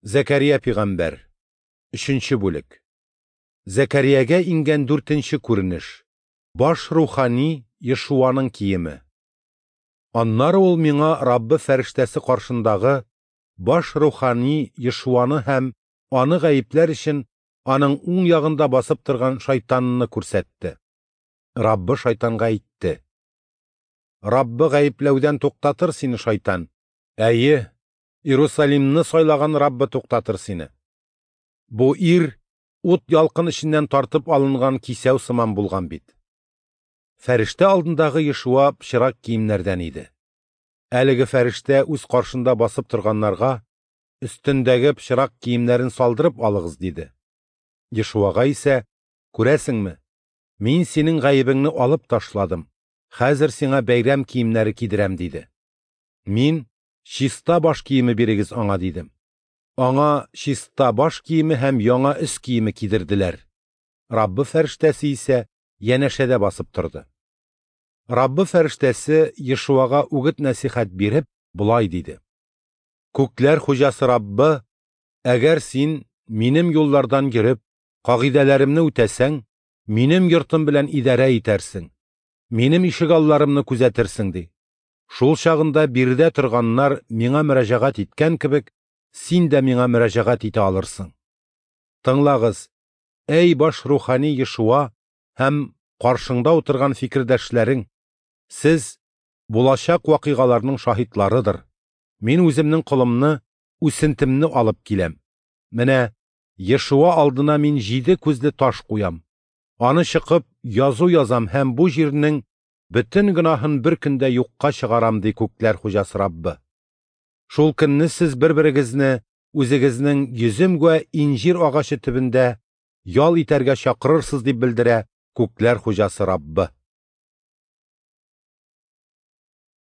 Зәкәрия пигамбәр. Өченче бүлек. Зәкәриягә иңгән дүртенче күренеш. Баш рухани Ешуаның киеме. Аннары ул миңа Раббы фәрештәсе каршындагы баш рухани Ешуаны һәм аны гаепләр өчен аның уң ягында басып торган шайтанны күрсәтте. Раббы шайтанга әйтте: Раббы гаепләүдән туктатыр сине, шайтан. Әйе, Иерусалимны сайлаган Раббы туктатыр сине. Бу ир ут ялкын эченнән тартып алынган кисәү сыман булган бит. Фәрештә алдындагы Ешуа пычрак киемнәрдән иде. Әлеге фәрештә үз каршында басып торганнарга өстендәге пычрак киемнәрен салдырып алыгыз, диде. Ешуага исә: "Күрәсеңме, мин синең гаебеңне алып ташладым. Хәзер сиңа бәйрәм киемнәре кидерәм", диде. Мин: "Чиста баш киеме бирегез аңа", дидем. Аңа чиста баш киеме һәм яңа өс киеме кидерделәр. Раббы фәрештәсе исә янәшәдә басып торды. Раббы фәрештәсе Ешуага үгет-нәсихәт биреп, болай диде: Күкләр хуҗасы Раббы, әгәр син минем юллардан йөреп, кагыйдәләремне үтәсәң, минем йортым белән идарә итәрсең, минем ишегалларымны күзәтерсең, ди. Шул чагында биредә торганнар миңа мөрәҗәгать иткән кебек, син дә миңа мөрәҗәгать итә алырсың. Тыңлагыз, әй баш рухани Ешуа һәм каршыңда утырган фикердәшләрең, сез булачак вакыйгаларның шаһитларыдыр. Мин үземнең колымны, үсентемне алып киләм. Менә Ешуа алдына мин 7 күзле таш куям. Аны чыкып язу язам һәм бу җирнең бөтен гөнаһын бер көндә юкка чыгарам, ди күкләр хуҗасы Раббы. Шул көнне сез бер-берегезне үзегезнең йөзем вә инҗир агачы төбендә ял итәргә чакырырсыз, дип белдерә күкләр хуҗасы Раббы.